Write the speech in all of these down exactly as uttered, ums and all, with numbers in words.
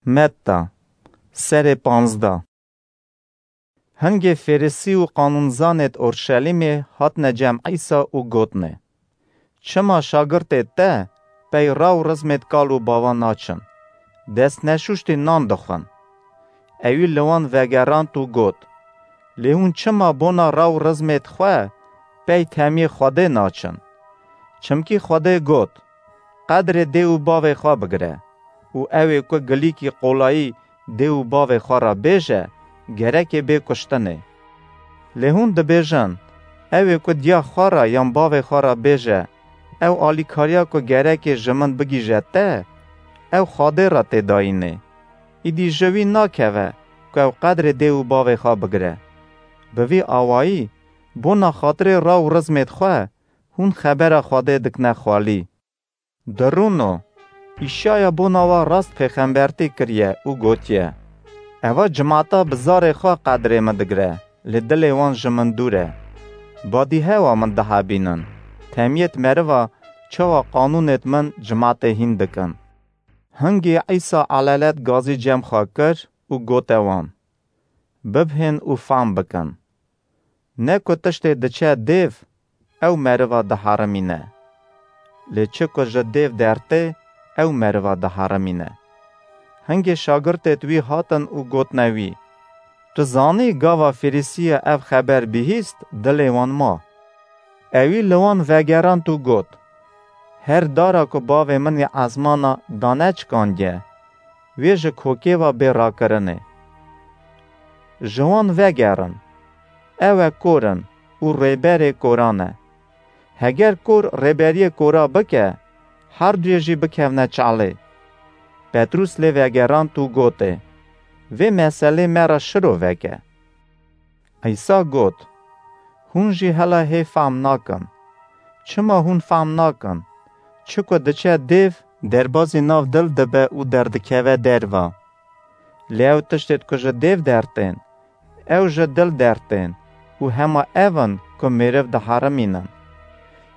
Metta, serê panzdeh. Hingê Fêrisî û qanûnzanêd Orşelîmê hatine cem Îsa û gotine: Çima şagirtêd te pey ra û rizmêd kal û bava naçin? Destneşûştî nan dixwin. Ewî li wan vegerand û got: Lê hûn çima bona ra û rizmêd xwe pey temiyê Xwedê naçin? Çimkî Xwedê got: Qedrê dê û bavê xwe bigire û ew ê ku gilîkî qolayî dê û bavê xwe re bêje, gerekê bê kuştinê. Lê hûn dibêjin: Ew ê ku diya xwe re yan bavê xwe re bêje, ew alîkariya ku gerekê ji min bigihîje te, ew Xwedê re tê dayînê. Îdî ji wî nakeve ku ew qedrê dê û bavê xwe bigire. Bi vî awayî, bona xatirê ra û rizmêd xwe, hûn xebera Xwedê dikine xwelî. Dirûno, Îşaya bona we rast pêxembertî kiriye û gotiye: Eva cimata bi zarê xwe qedrê min digire, lê dilê wan ji min dûr e. Badîhewa min dihebînin, temiyêd meriva çawa qanûnêd min cimatê hîn dikin. Hingê Îsa elelet gazî cem xwe kir û gote wan: Bibhên û fam bikin. Ne ku tiştê diçe dêv, ew meriva diherimîne. Lê çi ku ji dêv dertê, ew meriva diherimîne. Hingê şagirtêd wî hatin û gotine wî: Tu zanî gava Fêrisiya ev xeber bihîst, dilê wan ma. Ewî li wan vegerand û got: Her dara ku bavê min ê ezmana daneçikandiye, wê ji kokê ve bê rakirinê. Ji wan vegerin. Ew e kor in û rêberê koran e. Heger kor rêberiyê kora bike, her duyê jî bikevne çalê. Petrûs lê vegerand û gotê: Vê meselê me re şiro veke. Îsa got: Hûn jî hela hê fam nakin. Çima hûn fam nakin? Çi ku diçe dêv, derbazî nav dil dibe û derdikeve derva. Lê ew tiştêd ku ji dêv dertên, ew ji dil dertên û hema ev in ku mêriv diherimînin.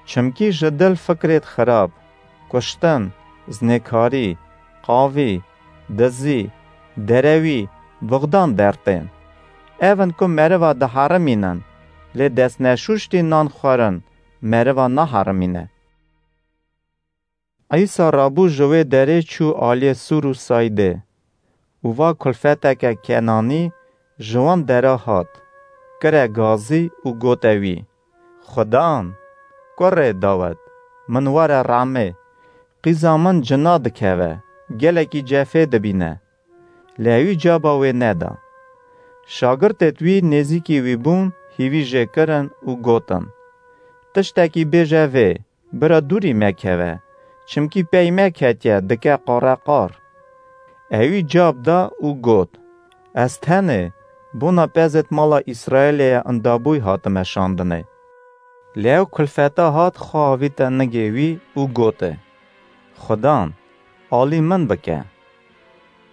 Çimkî ji dil fikrêd xirab, kuştin, zinêkarî, qavî, dizî, derewî, bixdan dertên. Ev in ku meriva diherimînin, lê destneşûştî nan xwarin meriva naherimîne. Îsa rabû ji wê derê çû aliyê Sûr û Saydê. Û va kulfeteke Kenanî ji wan dera hat, kire gazî û gote wî: Xudan, kurê Dawid, min were rehmê, qîza min cina dikeve, gelekî cefê dibîne. Lê ewî caba wê neda. Şagirtêd wî nêzîkî wî bûn, hîvî jê kirin û gotin: Tiştekî bêje vê, bira dûrî mekeve, çimkî pey me ketiye, dike qareqar. Ewî cab da û got: Ez tenê bona pezêd mala Îsraîlê ye indabûy hatime şandinê. Lê ew kulfeta hat xwe avîte nigê wî û gote: Xudan, alî min bike.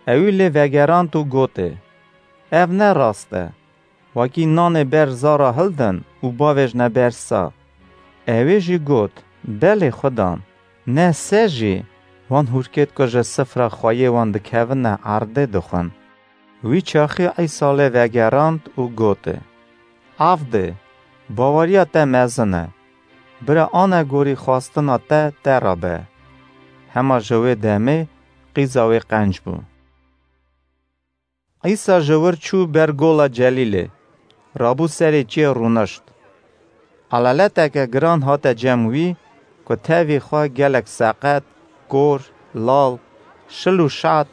Ewî lê vegerand û gote: Ev ne rast e. Wekî nanê ber zara hildin û bavêjne ber sa. Ewê jî got: Belê xudan, ne se jî, wan hûrkêd ku ji sifra xweyê wan dikevine erdê dixwin. Wî çaxî Îsa lê vegerand û gote: Avdê, baweriya te mezin e. Bira anegorî xwestina te te re be. Hema ji wê demê qîza wê qenc bû. Îsa ji wir çû ber gola Celîlê, rabû serê çiyê rûnişt. Eleleteke giran hate cem wî ku tevî xwe gelek seqet, kor, lal, şil û şat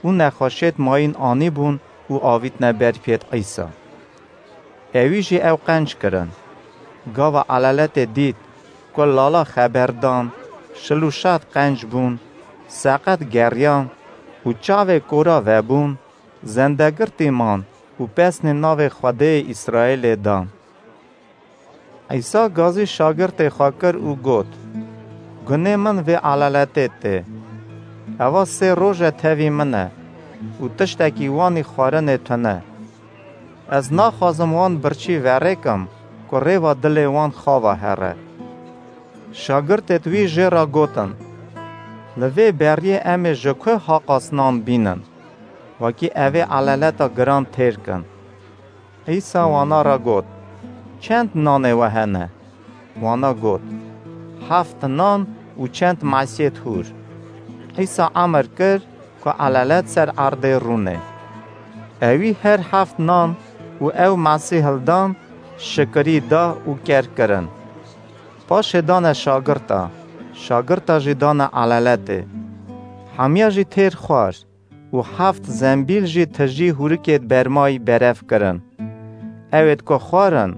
û nexweşêd mayîn anîbûn û avîtine ber pêd Îsa. Ewî jî ew qenc kirin. Gava eleletê dît ku lala xeber dan, şil û şat qenc bûn, seqet geriyan û çavê kora vebûn, zendegirtî man û pesnê navê Xwedêyê Îsraîlê dan. Îsa gazî şagirtê xwe kir û got: Gunê min vê eleletê tê. Eva sê roj e tevî min e û tiştekî wanî xwarinê tune. Ez naxwazim wan birçî verêkim ku rêva dilê wan xava here. Şagirtêd wî jê re gotin: Li vê beriyê em ê ji ku haqas nan bînin? wekî evê eleleta giran têr kin. Îsa wana re got, "Çend nanê we hene?" Wana got, "Heft nan û çend mesiyêt hûr." Îsa emir kir ku elelet ser erdê rûnê. Ewî her heft nan û ew mesî hildan, şikirî da û ker kirin. Paşê dane şagirta, şagirta jî dane eleletê. Hemiya jî têr xwar û heft zembîl jî tijî hûrikêd bermayî berev kirin. Ewêd ku xwarin,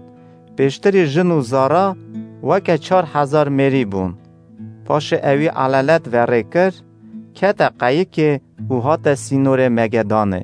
pêştirî jin û zara weke çar hezar mêrî bûn. Paşê ewî elelet verê kir, kete qeyikê û hate sînorê Megedanê.